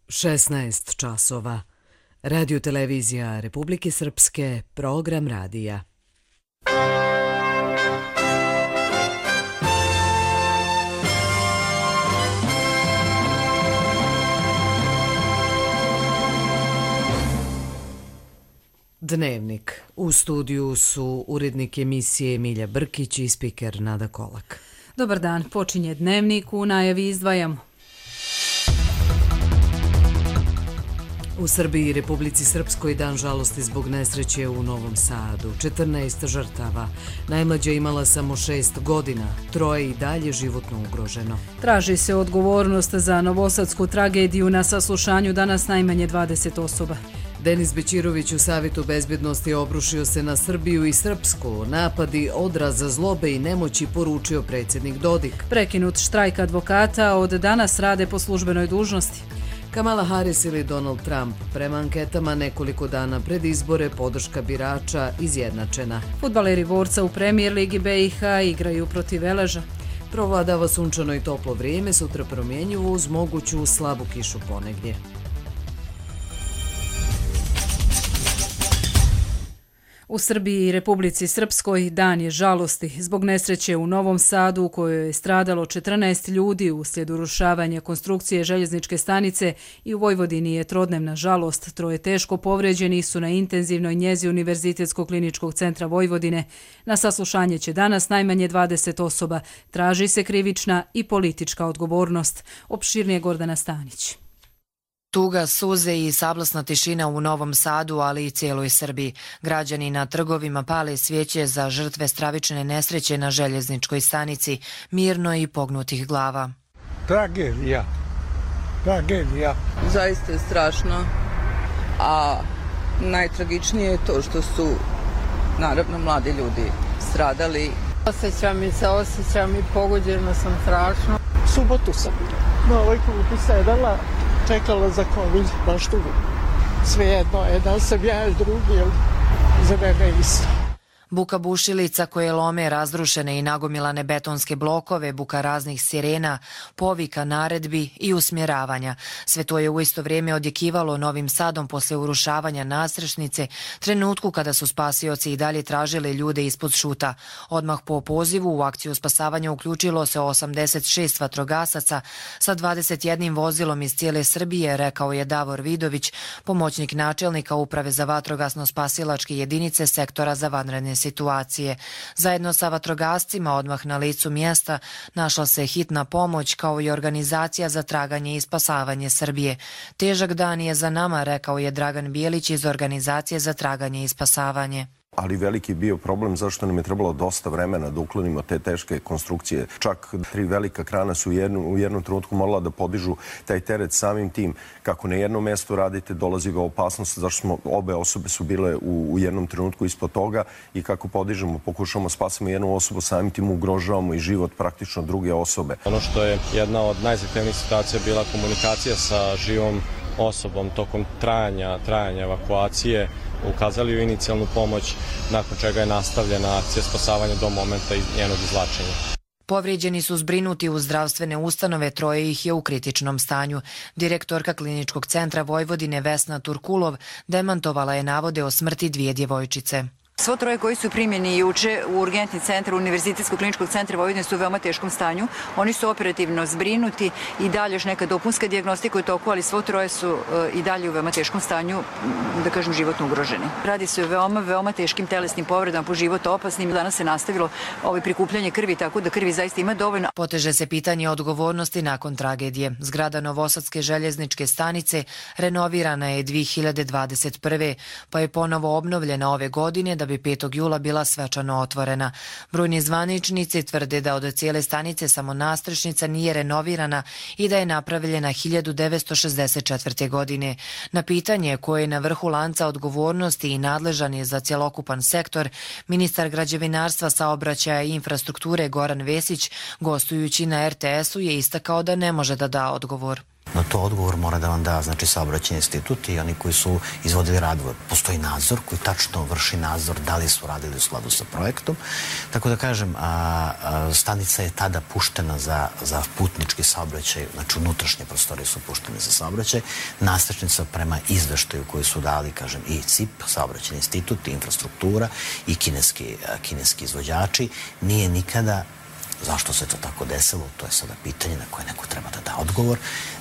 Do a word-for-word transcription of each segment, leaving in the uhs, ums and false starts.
šesnaest časova. Radio televizija Republike Srpske, program radija. Dnevnik. U studiju su urednik emisije Milja Brkić i spiker Nada Kolak. Dobar dan, počinje Dnevnik, u najavi izdvajamo. U Srbiji i Republici Srpskoj dan žalosti zbog nesreće u Novom Sadu. četrnaest žrtava. Najmlađa imala samo šest godina. Troje i dalje životno ugroženo. Traži se odgovornost za novosadsku tragediju. Na saslušanju danas najmanje dvadeset osoba. Denis Bećirović u Savetu bezbednosti obrušio se na Srbiju i Srpsku. Napadi odraz zlobe i nemoći, poručio predsjednik Dodik. Prekinut štrajk advokata, od danas rade po službenoj dužnosti. Kamala Harris ili Donald Trump. Prema anketama nekoliko dana pred izbore podrška birača izjednačena. Fudbaleri Vorca u Premier ligi B i H igraju protiv Veleža. Provladava sunčano i toplo vrijeme, sutra promjenjivo uz moguću slabu kišu ponegdje. U Srbiji i Republici Srpskoj dan je žalosti zbog nesreće u Novom Sadu u kojoj je stradalo četrnaest ljudi uslijed urušavanja konstrukcije željezničke stanice i u Vojvodini je trodnevna žalost. Troje teško povrijeđeni su na intenzivnoj njezi Univerzitetskog kliničkog centra Vojvodine. Na saslušanje će danas najmanje dvadeset osoba. Traži se krivična i politička odgovornost. Opširnije Gordana Stanić. Tuga, suze i sablasna tišina u Novom Sadu, ali i cijeloj Srbiji. Građani na trgovima pale svijeće za žrtve stravične nesreće na željezničkoj stanici, mirno i pognutih glava. Tragedija. Tragedija. Zaista je strašno, a najtragičnije je to što su, naravno, mladi ljudi stradali. Osjećam i se, osjećam i pogođena sam strašno. Subotu sam na ovoj klupi sedala, čekala za COVID, baš tu. Svejedno je da sam ja ili drugi, ili za mene isto. Buka bušilica koje lome razrušene i nagomilane betonske blokove, buka raznih sirena, povika, naredbi i usmjeravanja. Sve to je u isto vrijeme odjekivalo Novim Sadom posle urušavanja nadstrešnice, trenutku kada su spasioci i dalje tražili ljude ispod šuta. Odmah po pozivu u akciju spasavanja uključilo se osamdeset šest vatrogasaca sa dvadeset jednim vozilom iz cijele Srbije, rekao je Davor Vidović, pomoćnik načelnika Uprave za vatrogasno-spasilačke jedinice sektora za vanredne situacije. Zajedno sa vatrogascima odmah na licu mjesta našla se hitna pomoć kao i organizacija za traganje i spasavanje Srbije. Težak dan je za nama, rekao je Dragan Bijelić iz organizacije za traganje i spasavanje. Ali veliki bio problem zašto nam je trebalo dosta vremena da uklonimo te teške konstrukcije. Čak tri velika krana su u jednu, u jednom trenutku morala da podižu taj teret samim tim. Kako na jednom mjestu radite, dolazi ga opasnost, zašto smo, obe osobe su bile u, u jednom trenutku ispod toga i kako podižemo, pokušamo spasimo jednu osobu, samim tim ugrožavamo i život praktično druge osobe. Ono što je jedna od najzahtevnijih situacija bila komunikacija sa živom osobom tokom trajanja, trajanja evakuacije, ukazali u inicijalnu pomoć, nakon čega je nastavljena akcija spasavanja do momenta njenog izvlačenja. Povrijeđeni su zbrinuti u zdravstvene ustanove, troje ih je u kritičnom stanju. Direktorka Kliničkog centra Vojvodine Vesna Turkulov demantovala je navode o smrti dvije djevojčice. Svo troje koji su primjeni juče u urgentni centar Univerzitetskog kliničkog centra Vojvodine su u veoma teškom stanju. Oni su operativno zbrinuti i dalje još neka dopunska dijagnostika u toku, ali svo troje su i dalje u veoma teškom stanju, da kažem, životno ugroženi. Radi se o veoma, veoma teškim telesnim povredama, po život opasnim. Danas se nastavilo ovo prikupljanje krvi, tako da krvi zaista ima dovoljno. Poteže se pitanje odgovornosti nakon tragedije. Zgrada Novosadske željezničke stanice renovirana je dvije hiljade dvadeset prve. pa je ponovo obnovljena ove godine da bi petog jula bila svečano otvorena. Brojni zvaničnici tvrde da od cijele stanice samo nadstrešnica nije renovirana i da je napravljena hiljadu devetsto šezdeset četvrte. godine. Na pitanje koje je na vrhu lanca odgovornosti i nadležan je za cjelokupan sektor, ministar građevinarstva, saobraćaja i infrastrukture Goran Vesić, gostujući na er te esu, je istakao da ne može da da odgovor. Na to odgovor mora da vam da, znači, saobraćajni institut i oni koji su izvodili radove. Postoji nadzor koji tačno vrši nadzor da li su radili u skladu sa projektom. Tako da kažem, a, a, stanica je tada puštena za, za putnički saobraćaj, znači unutrašnje prostorije su puštene za saobraćaj. Nastrešnica prema izveštaju koji su dali, kažem, i C I P, saobraćajni institut, i infrastruktura, i kineski, a, kineski izvođači, nije nikada. Zašto se to tako desilo? To je sada pitanje na koje neko treba da da odgovor.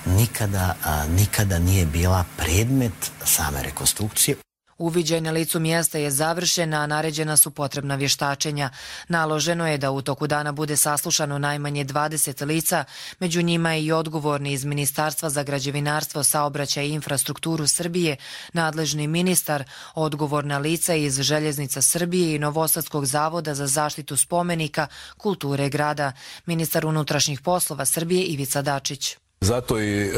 Nikada, a, nikada nije bila predmet same rekonstrukcije. Uviđaj na licu mjesta je završen, a naređena su potrebna vještačenja. Naloženo je da u toku dana bude saslušano najmanje dvadeset lica, među njima i odgovorni iz Ministarstva za građevinarstvo, saobraćaj i infrastrukturu Srbije, nadležni ministar, odgovorna lica iz Željeznica Srbije i Novosadskog zavoda za zaštitu spomenika, kulture grada, ministar unutrašnjih poslova Srbije Ivica Dačić. Zato i e,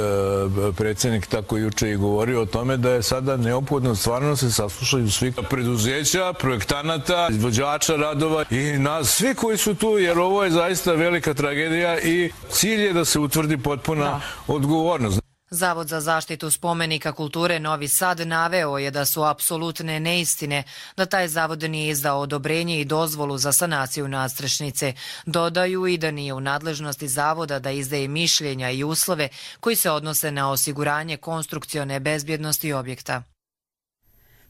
predsjednik tako juče i govorio o tome da je sada neophodno stvarno se saslušaju svi preduzeća, projektanata, izvođača radova i nas, svi koji su tu, jer ovo je zaista velika tragedija i cilj je da se utvrdi potpuna da. odgovornost. Zavod za zaštitu spomenika kulture Novi Sad naveo je da su apsolutne neistine, da taj zavod nije izdao odobrenje i dozvolu za sanaciju nadstrešnice. Dodaju i da nije u nadležnosti zavoda da izdaje mišljenja i uslove koji se odnose na osiguranje konstrukcione bezbjednosti objekta.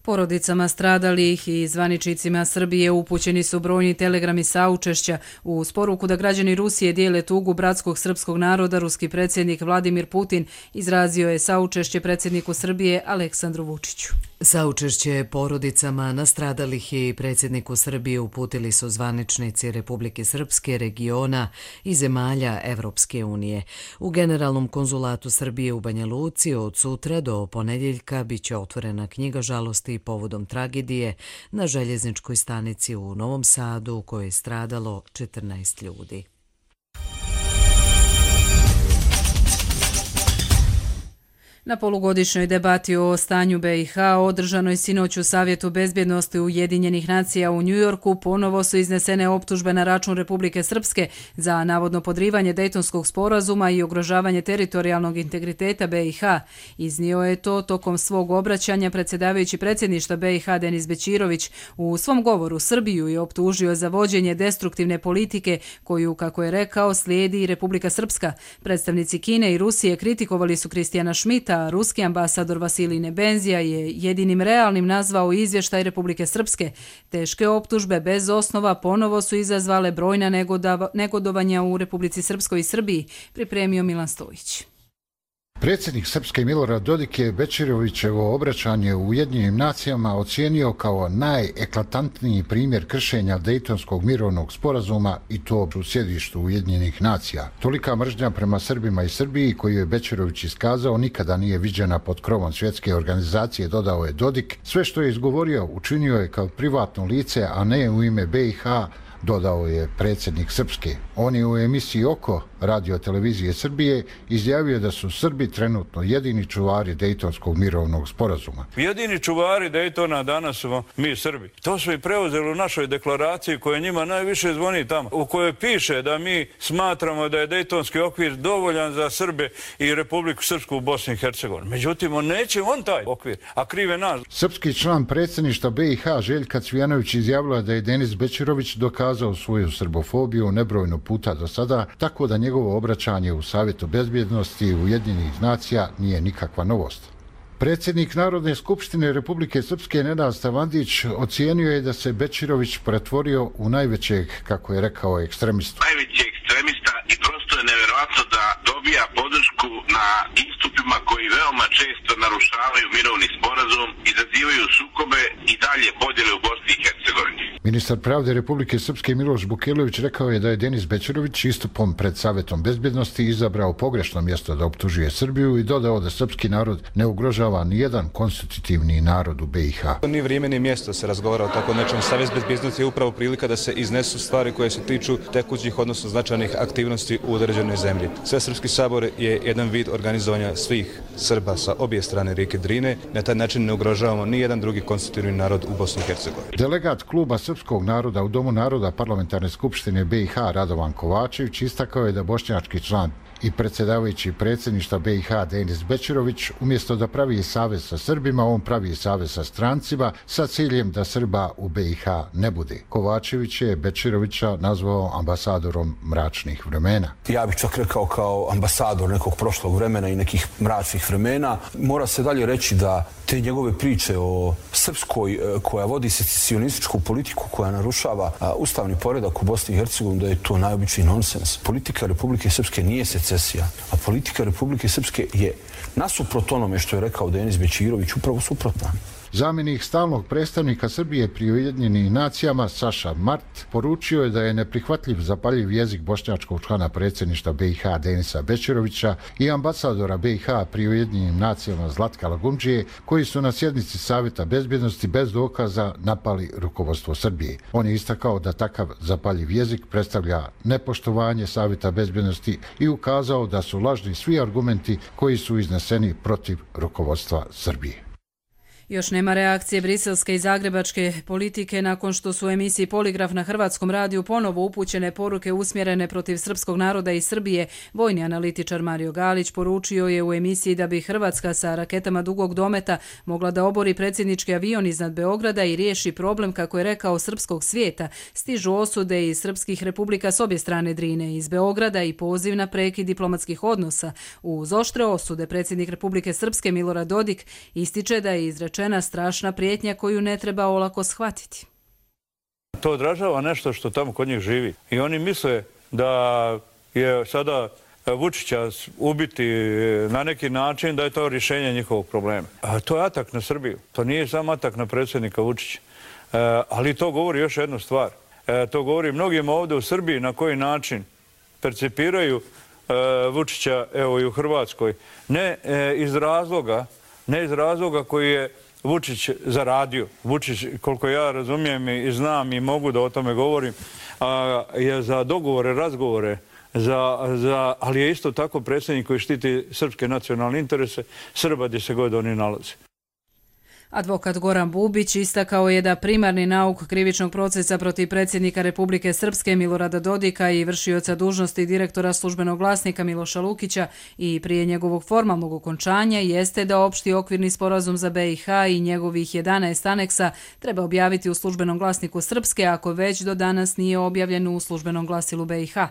Porodicama stradalih i zvaničnicima Srbije upućeni su brojni telegrami saučešća. Uz poruku da građani Rusije dijele tugu bratskog srpskog naroda, ruski predsjednik Vladimir Putin izrazio je saučešće predsjedniku Srbije Aleksandru Vučiću. Saučešće porodicama nastradalih i predsjedniku Srbije uputili su zvaničnici Republike Srpske, regiona i zemalja Evropske unije. U Generalnom konzulatu Srbije u Banja Luci od sutra do ponedjeljka biće otvorena knjiga žalosti povodom tragedije na željezničkoj stanici u Novom Sadu u kojoj je stradalo četrnaest ljudi. Na polugodišnjoj debati o stanju B i H održanoj sinoć u Savjetu bezbjednosti Ujedinjenih nacija u Njujorku ponovo su iznesene optužbe na račun Republike Srpske za navodno podrivanje Dejtonskog sporazuma i ugrožavanje teritorijalnog integriteta B i H. Iznio je to tokom svog obraćanja predsjedavajući predsjedništva B i H Denis Bećirović. U svom govoru Srbiju je optužio za vođenje destruktivne politike koju, kako je rekao, slijedi i Republika Srpska. Predstavnici Kine i Rusije kritikovali su Kristijana Šmita, a ruski ambasador Vasilij Nebenzija je jedinim realnim nazvao izvještaj Republike Srpske. Teške optužbe bez osnova ponovo su izazvale brojna negodovanja u Republici Srpskoj i Srbiji, pripremio Milan Stojić. Predsjednik Srpske Milorad Dodik je Bećirovićevo obraćanje u Ujedinjenim nacijama ocijenio kao najeklatantniji primjer kršenja Dejtonskog mirovnog sporazuma i to u sjedištu Ujedinjenih nacija. Tolika mržnja prema Srbima i Srbiji koju je Bećirović iskazao nikada nije viđena pod krovom svjetske organizacije, dodao je Dodik. Sve što je izgovorio učinio je kao privatno lice, a ne u ime B i H, dodao je predsjednik Srpske. On je u emisiji Oko radio televizije Srbije izjavio da su Srbi trenutno jedini čuvari Dejtonskog mirovnog sporazuma. Jedini čuvari Dejtona danas su mi Srbi. To su i preuzeli u našoj deklaraciji koja njima najviše zvoni tamo, u kojoj piše da mi smatramo da je Dejtonski okvir dovoljan za Srbe i Republiku Srpsku u Bosni i Hercegovini. Međutim, on neće on taj okvir, a krive nas. Srpski član predsjedništva B i H Željka Cvijanović izjavila da je Denis Bećirović dokazao svoju srbofobiju nebrojno puta do sada, tako da njegovo obraćanje u Savjetu bezbjednosti Ujedinjenih nacija nije nikakva novost. Predsjednik Narodne skupštine Republike Srpske Nenad Stavandić ocijenio je da se Bećirović pretvorio u najvećeg, kako je rekao, ekstremistu. Najveći ekstremista i prosto je nevjerojatno da dobija podršku na istupima koji veoma često narušavaju mirovni sporazum, izazivaju sukobe i dalje podjele u Bosni i Hercegovini. Ministar pravde Republike Srpske Miloš Bukelović rekao je da je Denis Bećirović istupom pred Savjetom bezbjednosti izabrao pogrešno mjesto da optužuje Srbiju i dodao da srpski narod ne ugrožava nijedan konstitutivni narod u B i H. Ni vrijeme ni mjesto se razgovara o tako nečem. Savjet bezbjednosti je upravo prilika da se iznesu stvari koje se tiču tekućih, odnosno značajnih aktivnosti u određenoj zemlji. Svesrpski sabor je jedan vid organizovanja svih Srba sa obje strane rijeke Drine. Na taj način ne ugrožavamo ni jedan drugi konstitutivni narod u Bosni i Hercegovini. Delegat kluba srpskog naroda u Domu naroda Parlamentarne skupštine B i H Radovan Kovačević istakao je da bošnjački član i predsjedavajući predsjedništva B i H Denis Bećirović umjesto da pravi savez sa Srbima, on pravi savez sa strancima sa ciljem da Srba u B i H ne bude. Kovačević je Bećirovića nazvao ambasadorom mračnih vremena. Ja bih čak rekao kao ambasador nekog prošlog vremena i nekih mračnih vremena. Mora se dalje reći da te njegove priče o Srpskoj koja vodi secesionističku politiku koja narušava ustavni poredak u Bosni i Hercegovini, da je to najobičniji nonsens. Politika Republike Srpske nije secesija, a politika Republike Srpske je nasuprot onome što je rekao Denis Bećirović upravo suprotna. Zamjenik stalnog predstavnika Srbije pri Ujedinjenim nacijama Saša Mart poručio je da je neprihvatljiv zapaljiv jezik bošnjačkog člana predsjedništva B i H Denisa Bećirovića i ambasadora B i H pri Ujedinjenim nacijama Zlatka Lagumdžije, koji su na sjednici Savjeta bezbjednosti bez dokaza napali rukovodstvo Srbije. On je istakao da takav zapaljiv jezik predstavlja nepoštovanje Savjeta bezbjednosti i ukazao da su lažni svi argumenti koji su izneseni protiv rukovodstva Srbije. Još nema reakcije briselske i zagrebačke politike nakon što su u emisiji Poligraf na Hrvatskom radiju ponovo upućene poruke usmjerene protiv srpskog naroda i Srbije. Vojni analitičar Mario Galić poručio je u emisiji da bi Hrvatska sa raketama dugog dometa mogla da obori predsjednički avion iznad Beograda i riješi problem, kako je rekao, srpskog svijeta. Stižu osude iz srpskih republika s obje strane Drine iz Beograda i poziv na prekid diplomatskih odnosa. Uz oštre osude predsjednik Republike Srpske Milorad Dodik ističe da je izrečena strašna prijetnja koju ne treba olako shvatiti. To odražava nešto što tamo kod njih živi. I oni misle da je sada Vučića ubiti na neki način, da je to rješenje njihovog problema. A to je atak na Srbiju. To nije samo atak na predsjednika Vučića. E, ali to govori još jednu stvar. E, to govori mnogim ovdje u Srbiji na koji način percipiraju e, Vučića, evo i u Hrvatskoj. Ne e, iz razloga, ne iz razloga koji je Vučić zaradio. Vučić, koliko ja razumijem i znam i mogu da o tome govorim, a, je za dogovore, razgovore, za, za, ali je isto tako predsjednik koji štiti srpske nacionalne interese Srba gdje se god oni nalaze. Advokat Goran Bubić istakao je da primarni nauk krivičnog procesa protiv predsjednika Republike Srpske Milorada Dodika i vršioca dužnosti direktora službenog glasnika Miloša Lukića i prije njegovog formalnog okončanja jeste da opšti okvirni sporazum za B i H i njegovih jedanaest aneksa treba objaviti u službenom glasniku Srpske, ako već do danas nije objavljen u službenom glasilu B i H.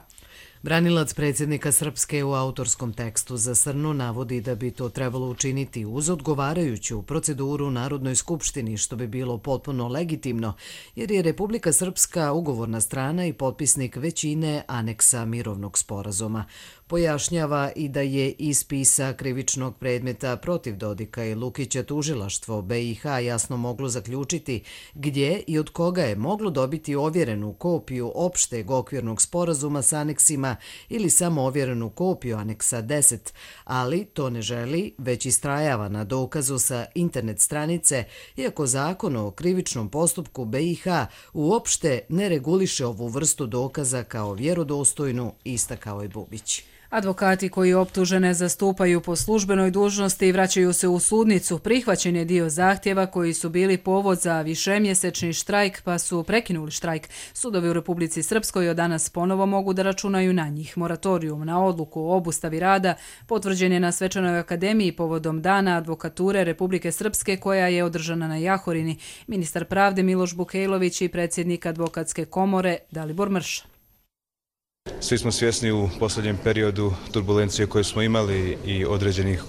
Branilac predsjednika Srpske u autorskom tekstu za Srnu navodi da bi to trebalo učiniti uz odgovarajuću proceduru u Narodnoj skupštini, što bi bilo potpuno legitimno, jer je Republika Srpska ugovorna strana i potpisnik većine aneksa mirovnog sporazuma. Pojašnjava i da je iz spisa krivičnog predmeta protiv Dodika i Lukića tužilaštvo B i H jasno moglo zaključiti gdje i od koga je moglo dobiti ovjerenu kopiju opšteg okvirnog sporazuma s aneksima ili samo ovjerenu kopiju aneksa deset, ali to ne želi, već istrajava na dokazu sa internet stranice, iako zakon o krivičnom postupku B i H uopšte ne reguliše ovu vrstu dokaza kao vjerodostojnu, istakao je Bubić. Advokati koji optužene zastupaju po službenoj dužnosti i vraćaju se u sudnicu, prihvaćen je dio zahtjeva koji su bili povod za višemjesečni štrajk, pa su prekinuli štrajk. Sudovi u Republici Srpskoj od danas ponovo mogu da računaju na njih. Moratorijum na odluku o obustavi rada potvrđen je na Svečanoj akademiji povodom Dana advokature Republike Srpske koja je održana na Jahorini. Ministar pravde Miloš Bukejlović i predsjednik advokatske komore Dalibor Mrša. Svi smo svjesni u posljednjem periodu turbulencije koje smo imali i određenih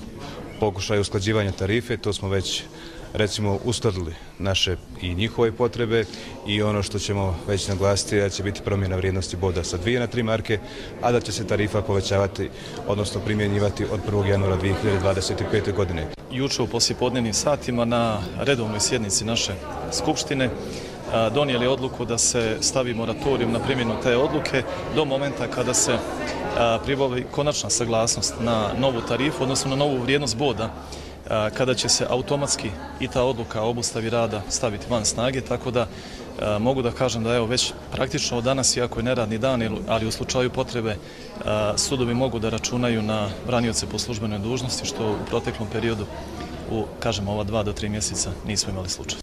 pokušaja usklađivanja tarife. To smo već, recimo, uskladili naše i njihove potrebe i ono što ćemo već naglasiti da će biti promjena vrijednosti boda sa dvije na tri marke, a da će se tarifa povećavati, odnosno primjenjivati od prvog januara dvije hiljade dvadeset pete. godine. Juče u poslijepodnevnim satima na redovnoj sjednici naše skupštine donijeli odluku da se stavi moratorijum na primjenu te odluke do momenta kada se pribavi konačna saglasnost na novu tarifu, odnosno na novu vrijednost boda, kada će se automatski i ta odluka o obustavi rada staviti van snage, tako da mogu da kažem da evo već praktično od danas, iako je neradni dan, ali u slučaju potrebe sudovi mogu da računaju na branioce po službenoj dužnosti, što u proteklom periodu, u, kažem, ova dva do tri mjeseca nismo imali slučaj.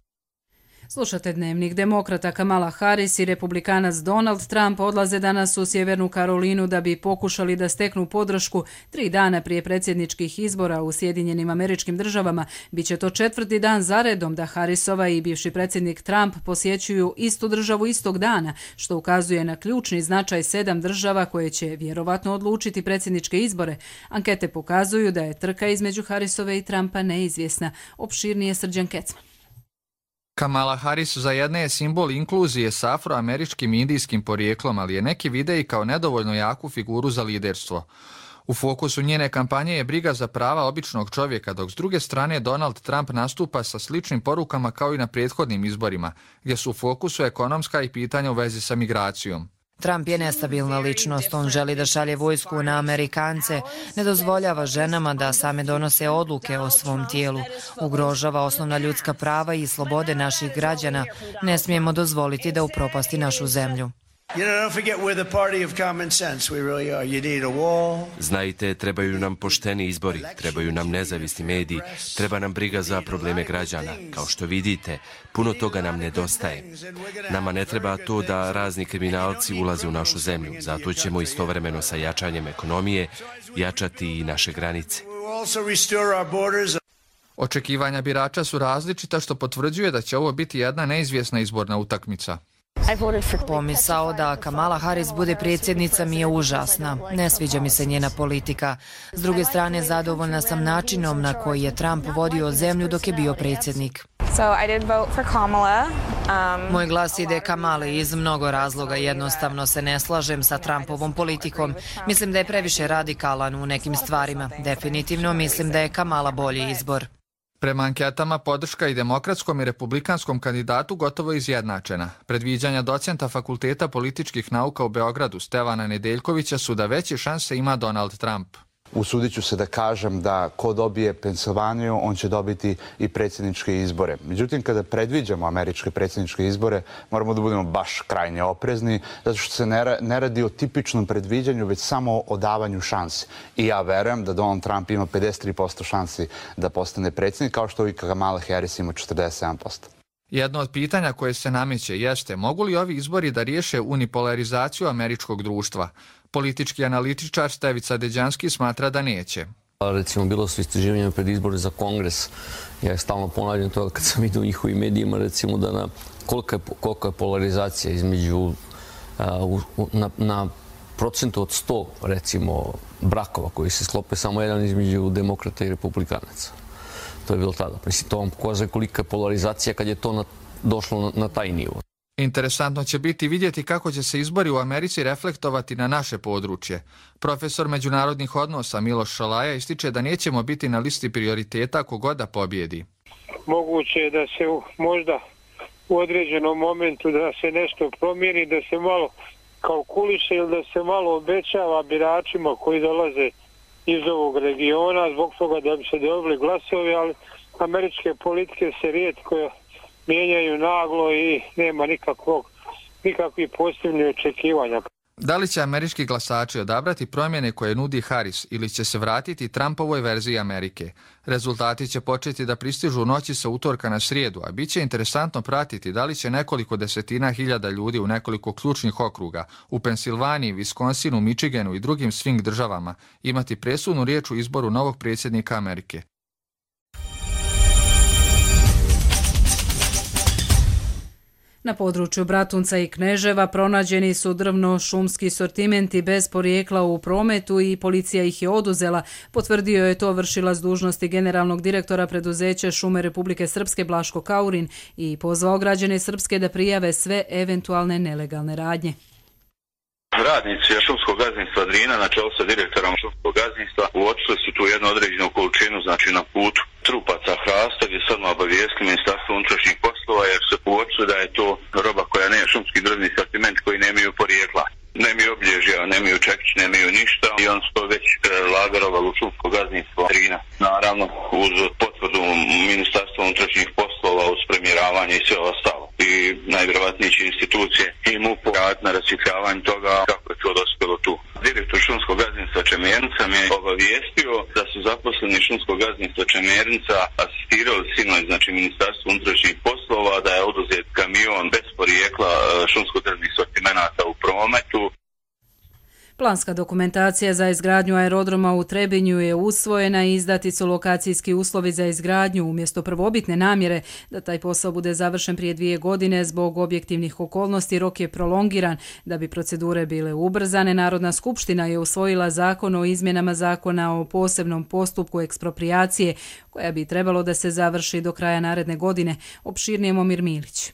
Slušate Dnevnik. Demokrata Kamala Harris i republikanac Donald Trump odlaze danas u Sjevernu Karolinu da bi pokušali da steknu podršku tri dana prije predsjedničkih izbora u Sjedinjenim Američkim Državama. Biće to četvrti dan zaredom da Harrisova i bivši predsjednik Trump posjećuju istu državu istog dana, što ukazuje na ključni značaj sedam država koje će vjerovatno odlučiti predsjedničke izbore. Ankete pokazuju da je trka između Harrisove i Trumpa neizvjesna. Opširnije Srđan Kecman. Kamala Harris za jedne je simbol inkluzije s afroameričkim i indijskim porijeklom, ali je neki vide i kao nedovoljno jaku figuru za liderstvo. U fokusu njene kampanje je briga za prava običnog čovjeka, dok s druge strane Donald Trump nastupa sa sličnim porukama kao i na prethodnim izborima, gdje su u fokusu ekonomska i pitanja u vezi sa migracijom. Trump je nestabilna ličnost, on želi da šalje vojsku na Amerikance, ne dozvoljava ženama da same donose odluke o svom tijelu, ugrožava osnovna ljudska prava i slobode naših građana, ne smijemo dozvoliti da upropasti našu zemlju. Znajte, trebaju nam pošteni izbori, trebaju nam nezavisni mediji, treba nam briga za probleme građana. Kao što vidite, puno toga nam nedostaje. Nama ne treba to da razni kriminalci ulaze u našu zemlju, zato ćemo istovremeno sa jačanjem ekonomije jačati i naše granice. Očekivanja birača su različita, što potvrđuje da će ovo biti jedna neizvjesna izborna utakmica. Pomisao da Kamala Harris bude predsjednica mi je užasna. Ne sviđa mi se njena politika. S druge strane, zadovoljna sam načinom na koji je Trump vodio zemlju dok je bio predsjednik. Moj glas ide Kamali iz mnogo razloga. Jednostavno se ne slažem sa Trumpovom politikom. Mislim da je previše radikalan u nekim stvarima. Definitivno mislim da je Kamala bolji izbor. Prema anketama, podrška i demokratskom i republikanskom kandidatu gotovo izjednačena. Predviđanja docenta Fakulteta političkih nauka u Beogradu Stevana Nedeljkovića su da veće šanse ima Donald Trump. Usudit ću se da kažem da ko dobije Pensilvaniju, on će dobiti i predsjedničke izbore. Međutim, kada predviđamo američke predsjedničke izbore, moramo da budemo baš krajnje oprezni, zato što se ne radi o tipičnom predviđanju, već samo o davanju šansi. I ja verujem da Donald Trump ima pedeset tri posto šansi da postane predsjednik, kao što i Kamala Harris ima četrdeset sedam posto. Jedno od pitanja koje se nameće jeste, mogu li ovi izbori da riješe unipolarizaciju američkog društva? Politički analitičar Stevica Deđanski smatra da neće. Recimo, bilo su istraživanja pred izbore za Kongres. Ja je stalno ponavljam to kad sam vidio u njihovim medijima, recimo da na kolika je, kolika je polarizacija između a, na, na procentu od sto, recimo, brakova koji se sklope samo jedan između demokrata i republikanaca. To je bilo tada. Mislim, to vam pokazuje kolika je polarizacija kad je to na, došlo na, na taj nivo. Interesantno će biti vidjeti kako će se izbori u Americi reflektovati na naše područje. Profesor međunarodnih odnosa Miloš Šalaja ističe da nećemo biti na listi prioriteta kogoda pobjedi. Moguće je da se možda u određenom momentu da se nešto promijeni, da se malo kalkuliše ili da se malo obećava biračima koji dolaze iz ovog regiona zbog toga da bi se dobili glasovi, ali američke politike se rijetko mijenjaju naglo i nema nikakvog, nikakvih pozitivnih očekivanja. Da li će američki glasači odabrati promjene koje nudi Harris ili će se vratiti Trumpovoj verziji Amerike? Rezultati će početi da pristižu u noći sa utorka na srijedu, a bit će interesantno pratiti da li će nekoliko desetina hiljada ljudi u nekoliko ključnih okruga u Pensilvaniji, Wisconsinu, Michiganu i drugim swing državama imati presudnu riječ u izboru novog predsjednika Amerike. Na području Bratunca i Kneževa pronađeni su drvno-šumski sortimenti bez porijekla u prometu i policija ih je oduzela. Potvrdio je to vršilac dužnosti generalnog direktora preduzeća Šume Republike Srpske Blaško Kaurin i pozvao građane Srpske da prijave sve eventualne nelegalne radnje. Radnici šumskog gazdinstva Drina na čelu sa direktorom šumskog gazdinstva uočili su tu jednu određenu količinu, znači na putu trupaca hrasta, gdje sad smo obavijestili Ministarstvo unutrašnjih poslova jer se uočili da je to roba koja nema šumski drvni sortiment koji nemaju porijekla. Nemaju obilježja, nemaju čekić, nemaju ništa i on su to već lagarovali u šumsko gazdinstvo Drina. Naravno uz potvrdu Ministarstva unutrašnjih poslova, uz premjeravanje i sve ostalo. I najvjerovatnije će institucije i M U P raditi na rasvjetljavanju toga kako je to dospjelo tu. Direktor šumskog gazdinstva Čemernica mi je obavijestio da su zaposleni šumskog gazdinstva Čemernica asistirali sinoć, znači Ministarstvo unutrašnjih poslova poslova, da je oduzet kamion bez porijekla šumsko-drvnih sortimenata u prometu. Planska dokumentacija za izgradnju aerodroma u Trebinju je usvojena i izdati su lokacijski uslovi za izgradnju umjesto prvobitne namjere da taj posao bude završen prije dvije godine zbog objektivnih okolnosti. Rok je prolongiran. Da bi procedure bile ubrzane, Narodna skupština je usvojila zakon o izmjenama zakona o posebnom postupku eksproprijacije koja bi trebalo da se završi do kraja naredne godine. Opširnije Momir Milić.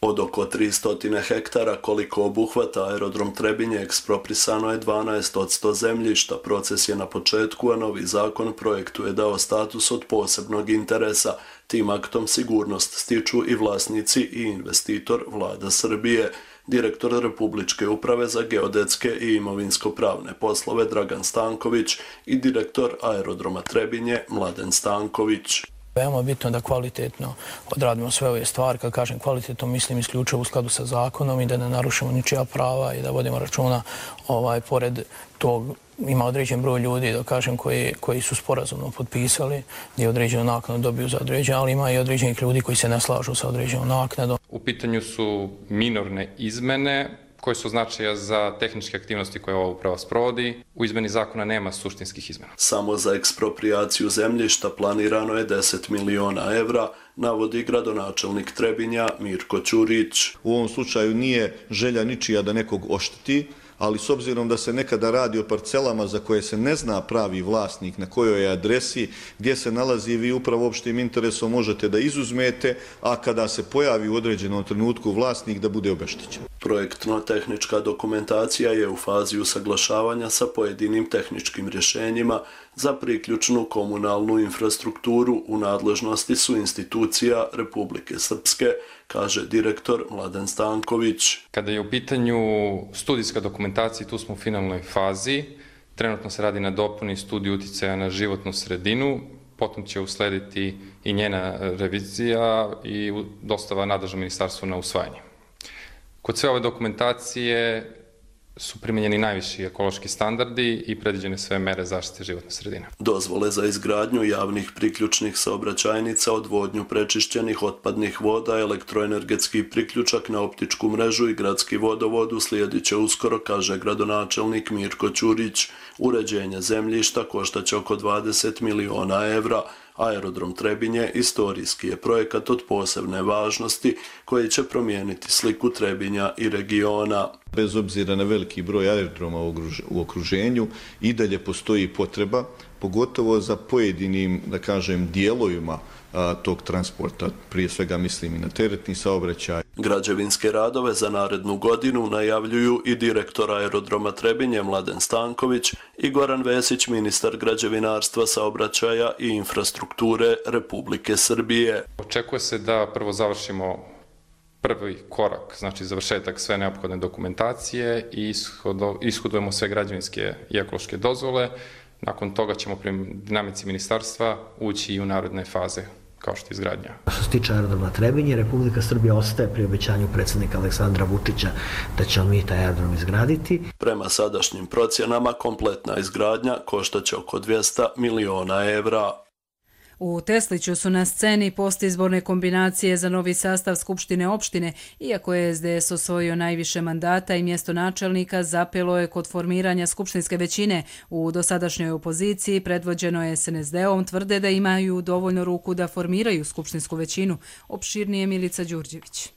Od oko tristo hektara koliko obuhvata aerodrom Trebinje eksproprisano je dvanaest posto zemljišta. Proces je na početku, a novi zakon projektu je dao status od posebnog interesa. Tim aktom sigurnost stiču i vlasnici i investitor Vlada Srbije. Direktor Republičke uprave za geodetske i imovinsko-pravne poslove Dragan Stanković i direktor aerodroma Trebinje Mladen Stanković. Veoma bitno da kvalitetno odradimo sve ove stvari. Kad kažem kvalitetno, mislim isključivo u skladu sa zakonom i da ne narušimo ničija prava i da vodimo računa, ovaj, pored tog ima određen broj ljudi, da kažem, koji, koji su sporazumno potpisali, gdje određenu naknadu dobiju za određen, ali ima i određenih ljudi koji se ne slažu sa određenom naknadom. U pitanju su minorne izmene koje su značaja za tehničke aktivnosti koje ova uprava sprovodi. U izmeni zakona nema suštinskih izmena. Samo za eksproprijaciju zemljišta planirano je deset miliona evra, navodi gradonačelnik Trebinja Mirko Ćurić. U ovom slučaju nije želja ničija da nekog ošteti, ali s obzirom da se nekada radi o parcelama za koje se ne zna pravi vlasnik na kojoj je adresi, gdje se nalazi, vi upravo opštim interesom možete da izuzmete, a kada se pojavi u određenom trenutku vlasnik da bude obeštećen. Projektno-tehnička dokumentacija je u fazi usaglašavanja sa pojedinim tehničkim rješenjima. Za priključnu komunalnu infrastrukturu u nadležnosti su institucija Republike Srpske, kaže direktor Mladen Stanković. Kada je u pitanju studijska dokumentacija, tu smo u finalnoj fazi. Trenutno se radi na dopuni studiju uticaja na životnu sredinu, potom će uslediti i njena revizija i dostava nadležnom ministarstvu na usvajanje. Kod sve ove dokumentacije su primjenjeni najviši ekološki standardi i predviđene sve mere zaštite životne sredine. Dozvole za izgradnju javnih priključnih saobraćajnica, odvodnju prečišćenih otpadnih voda, elektroenergetski priključak na optičku mrežu i gradski vodovod uslijedit će uskoro, kaže gradonačelnik Mirko Ćurić. Uređenje zemljišta koštaće oko dvadeset miliona evra. Aerodrom Trebinje istorijski je projekat od posebne važnosti koji će promijeniti sliku Trebinja i regiona. Bez obzira na veliki broj aerodroma u okruženju, i dalje postoji potreba, pogotovo za pojedinim, da kažem, dijelovima a, tog transporta, prije svega mislim i na teretni saobraćaj. Građevinske radove za narednu godinu najavljuju i direktor aerodroma Trebinje Mladen Stanković i Goran Vesić, ministar građevinarstva, saobraćaja i infrastrukture Republike Srbije. Očekuje se da prvo završimo prvi korak, znači završetak sve neophodne dokumentacije i ishodujemo sve građevinske i ekološke dozvole. Nakon toga ćemo prema dinamici ministarstva ući i u naredne faze, kao što je izgradnja. Što se tiče aerodroma Trebinje, Republika Srbija ostaje pri obećanju predsjednika Aleksandra Vučića da ćemo mi taj aerodrom izgraditi. Prema sadašnjim procjenama, kompletna izgradnja koštaće oko dvjesto miliona evra. U Tesliću su na sceni postizborne kombinacije za novi sastav Skupštine opštine. Iako je S D S osvojio najviše mandata i mjesto načelnika, zapelo je kod formiranja skupštinske većine. U dosadašnjoj opoziciji, predvođeno je S N S D-om, tvrde da imaju dovoljno ruku da formiraju skupštinsku većinu. Opširnije Milica Đurđević.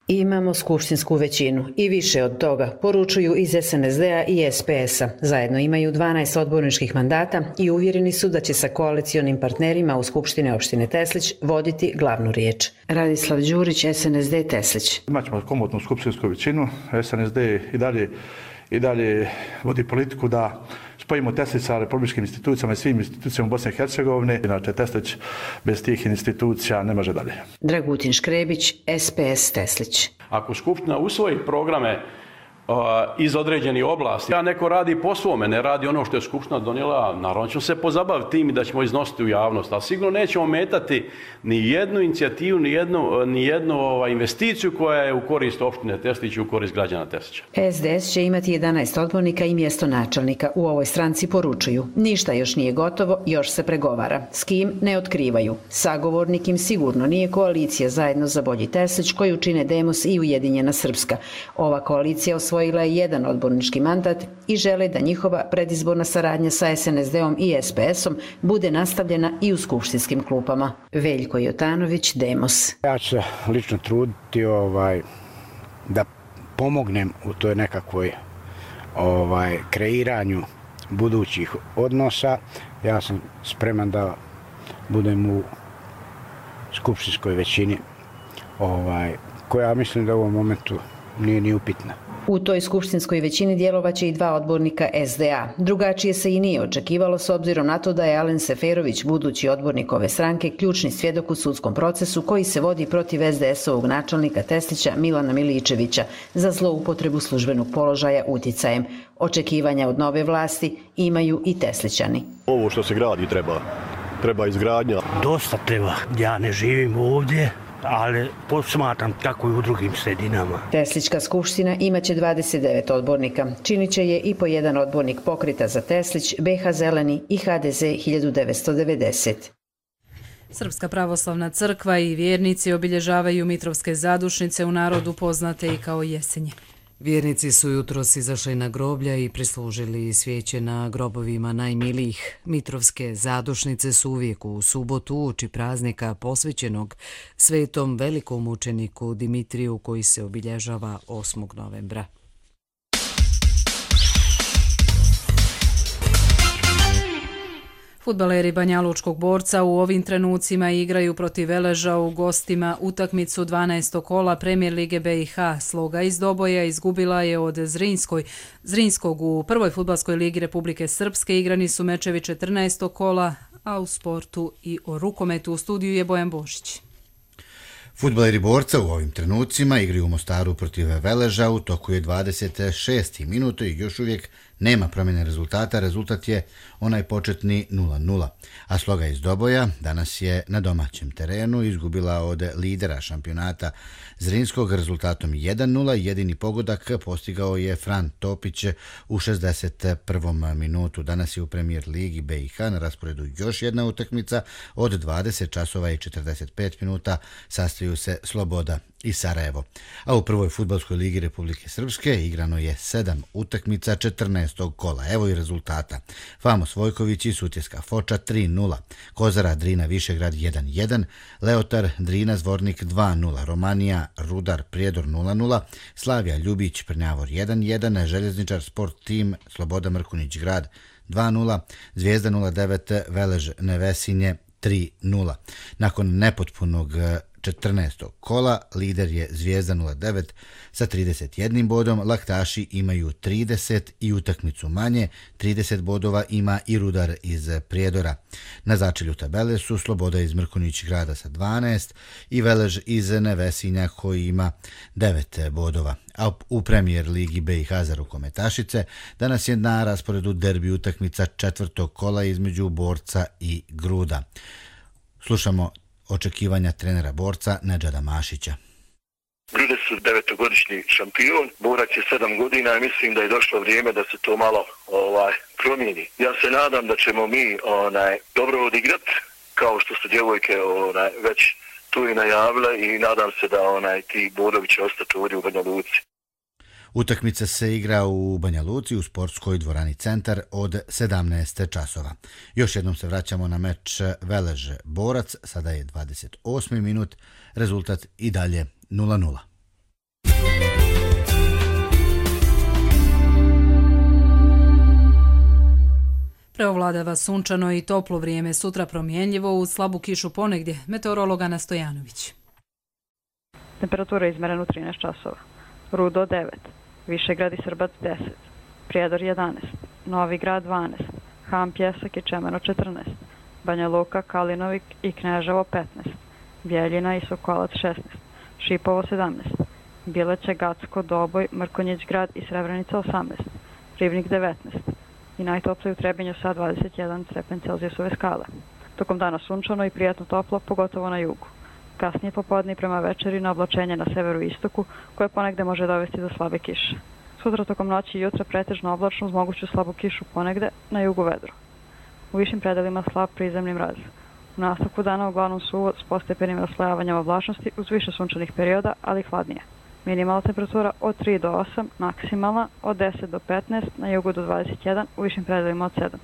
Imamo skupštinsku većinu i više od toga, poručuju iz S N S D-a i S P S-a. Zajedno imaju dvanaest odborničkih mandata i uvjereni su da će sa koalicionim partnerima u Skupštine opštine Teslić voditi glavnu riječ. Radislav Đurić, S N S D Teslić. Imaćemo komotnu skupštinsku većinu. S N S D i dalje, i dalje vodi politiku da spojimo Teslić sa republičkim institucijama i svim institucijama Bosne i Hercegovine. Inače, Teslić bez tih institucija ne može dalje. Dragutin Škrebić, S P S Teslić. Ako Skupština usvoji programe iz određenih oblasti. Ja neko radi po svome, ne radi ono što je Skupština donijela, naravno ćemo se pozabaviti tim i da ćemo iznositi u javnost, ali sigurno nećemo metati ni jednu inicijativu, ni jednu, ni jednu ovaj, investiciju koja je u korist opštine Teslić i u korist građana Teslića. S D S će imati jedanaest odbornika i mjesto načelnika. U ovoj stranci poručuju. Ništa još nije gotovo, još se pregovara. S kim ne otkrivaju. Sagovornik im sigurno nije koalicija Zajedno za bolji Teslić koju čine Demos i Ujedinjena Srpska. Ova koalicija osvojila je jedan odbornički mandat i žele da njihova predizborna saradnja sa S N S D-om i S P S-om bude nastavljena i u skupštinskim klupama. Veljko Jotanović, Demos. Ja ću se lično truditi ovaj, da pomognem u toj nekakvoj ovaj, kreiranju budućih odnosa. Ja sam spreman da budem u skupštinskoj većini ovaj, koja mislim da u ovom momentu nije ni upitna. U toj skupštinskoj većini djelovaće i dva odbornika S D A. Drugačije se i nije očekivalo s obzirom na to da je Alen Seferović, budući odbornik ove stranke, ključni svjedok u sudskom procesu koji se vodi protiv S D S-ovog načelnika Teslića Milana Miličevića za zloupotrebu službenog položaja utjecajem. Očekivanja od nove vlasti imaju i Teslićani. Ovo što se gradi treba, treba izgradnja. Dosta treba. Ja ne živim ovdje, ali posmatram kako i u drugim sredinama. Teslićka skupština imaće dvadeset devet odbornika. Činit će je i po jedan odbornik Pokreta za Teslić, B H Zeleni i H D Z hiljadu devetsto devedeset. Srpska pravoslavna crkva i vjernici obilježavaju Mitrovske zadušnice, u narodu poznate i kao Jesenje. Vjernici su jutros izašli na groblja i prislužili svijeće na grobovima najmilijih. Mitrovske zadušnice su uvijek u subotu uoči praznika posvećenog svetom velikom mučeniku Dimitriju koji se obilježava osmog novembra. Fudbaleri Banjalučkog Borca u ovim trenucima igraju protiv Veleža u gostima utakmicu dvanaestog kola Premijer Lige B i H. Sloga iz Doboja izgubila je od Zrinskoj. Zrinskog u prvoj fudbalskoj ligi Republike Srpske igrani su mečevi četrnaestog kola, a u sportu i o rukometu u studiju je Bojan Bošić. Fudbaleri Borca u ovim trenucima igraju u Mostaru protiv Veleža, u toku je dvadeset šesti minut i još uvijek nema promjene rezultata, rezultat je onaj početni nula nula. A Sloga iz Doboja danas je na domaćem terenu izgubila od lidera šampionata Zrinskog rezultatom jedan nula. Jedini pogodak postigao je Fran Topić u šezdeset prvom minutu. Danas je u Premijer Ligi B i H na rasporedu još jedna utakmica od dvadeset časova i četrdeset pet minuta. Sastaju se Sloboda i Sarajevo. A u prvoj fudbalskoj ligi Republike Srpske igrano je sedam utakmica četrnaestog kola. Evo i rezultata. Famos Vojković i Sutjeska Foča tri nula, Kozara Drina Višegrad jedan jedan, Leotar Drina Zvornik dva nula, Romanija Rudar Prijedor nula nula, Slavija Ljubić Prnjavor jedan jedan, Željezničar Sport Tim Sloboda Mrkunić Grad dva nula, Zvijezda nula devet Velež Nevesinje tri nula. Nakon nepotpunog četrnaestog kola lider je Zvijezda nula devet sa trideset jednim bodom, Laktaši imaju trideset i utakmicu manje, trideset bodova ima i Rudar iz Prijedora. Na začelju tabele su Sloboda iz Mrkunić Grada sa dvanaest i Velež iz Nevesinja koji ima devet bodova. A u Premijer Ligi B i H za rukometašice danas je na rasporedu derbi utakmica četvrtog kola između Borca i Gruda. Slušamo očekivanja trenera Borca Nedžada Mašića. Grude su devetogodišnji šampion, Borac je sedam godina i mislim da je došlo vrijeme da se to malo ovaj promijeni. Ja se nadam da ćemo mi onaj dobro odigrati, kao što su djevojke onaj već tu i najavile, i nadam se da onaj ti bodovi će ostati ovdje u Banja Luci. Utakmica se igra u Banja Luci u sportskoj dvorani Centar od sedamnaest časova. Još jednom se vraćamo na meč Velež Borac, sada je dvadeset osmi minut, rezultat i dalje nula nula. Preovladava sunčano i toplo vrijeme, sutra promjenljivo uz slabu kišu ponegdje. Meteorolog Ana Stojanović. Temperatura izmerena u trinaest časova. Rudo devet, Višegrad i Srbac deset, Prijedor jedanaest, Novi Grad dvanaest, Ham Pjesak i Čemeno četrnaest, Banja Luka, Kalinovik i Kneževo petnaest, Bjeljina i Sokolac šesnaest, Šipovo sedamnaest, Bileće, Gacko, Doboj, Mrkonjić grad i Srebrenica osamnaest, Ribnik devetnaest i najtoplije u Trebinju sa dvadeset jedan stepen Celzijusove skale. Tokom dana sunčano i prijatno toplo, pogotovo na jugu. Kasnije popodne i prema večeri na oblačenje na severu i istoku, koje ponegde može dovesti do slabe kiše. Sutra tokom noći i jutra pretežno oblačno uz moguću slabu kišu ponegde, na jugu vedro. U višim predelima slab prizemni mraz. U nastavku dana uglavnom suvo s postepenim raslojavanjem oblačnosti uz više sunčanih perioda, ali hladnije. Minimalna temperatura od tri do osam, maksimalna od deset do petnaest, na jugu do dvadeset jedan, u višim predelima od sedam.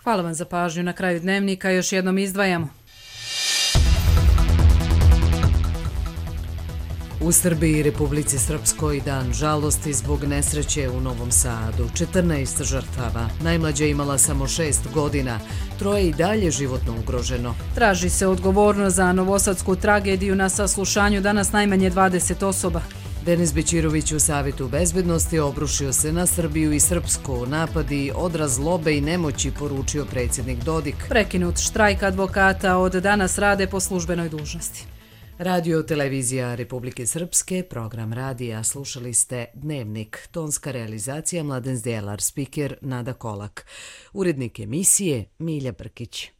Hvala vam za pažnju. Na kraju dnevnika još jednom izdvajamo. U Srbiji i Republici Srpskoj dan žalosti zbog nesreće u Novom Sadu. četrnaest žrtava. Najmlađa imala samo šest godina. Troje i dalje životno ugroženo. Traži se odgovornost za novosadsku tragediju. Na saslušanju danas najmanje dvadeset osoba. Denis Bećirović u Savetu bezbednosti obrušio se na Srbiju i Srpsku. Napadi odraz zlobe i nemoći, poručio predsjednik Dodik. Prekinut štrajk advokata, od danas rade po službenoj dužnosti. Radio televizija Republike Srpske, program radija, slušali ste Dnevnik, tonska realizacija Mladen Zdjelar, spiker Nada Kolak, urednik emisije Milja Brkić.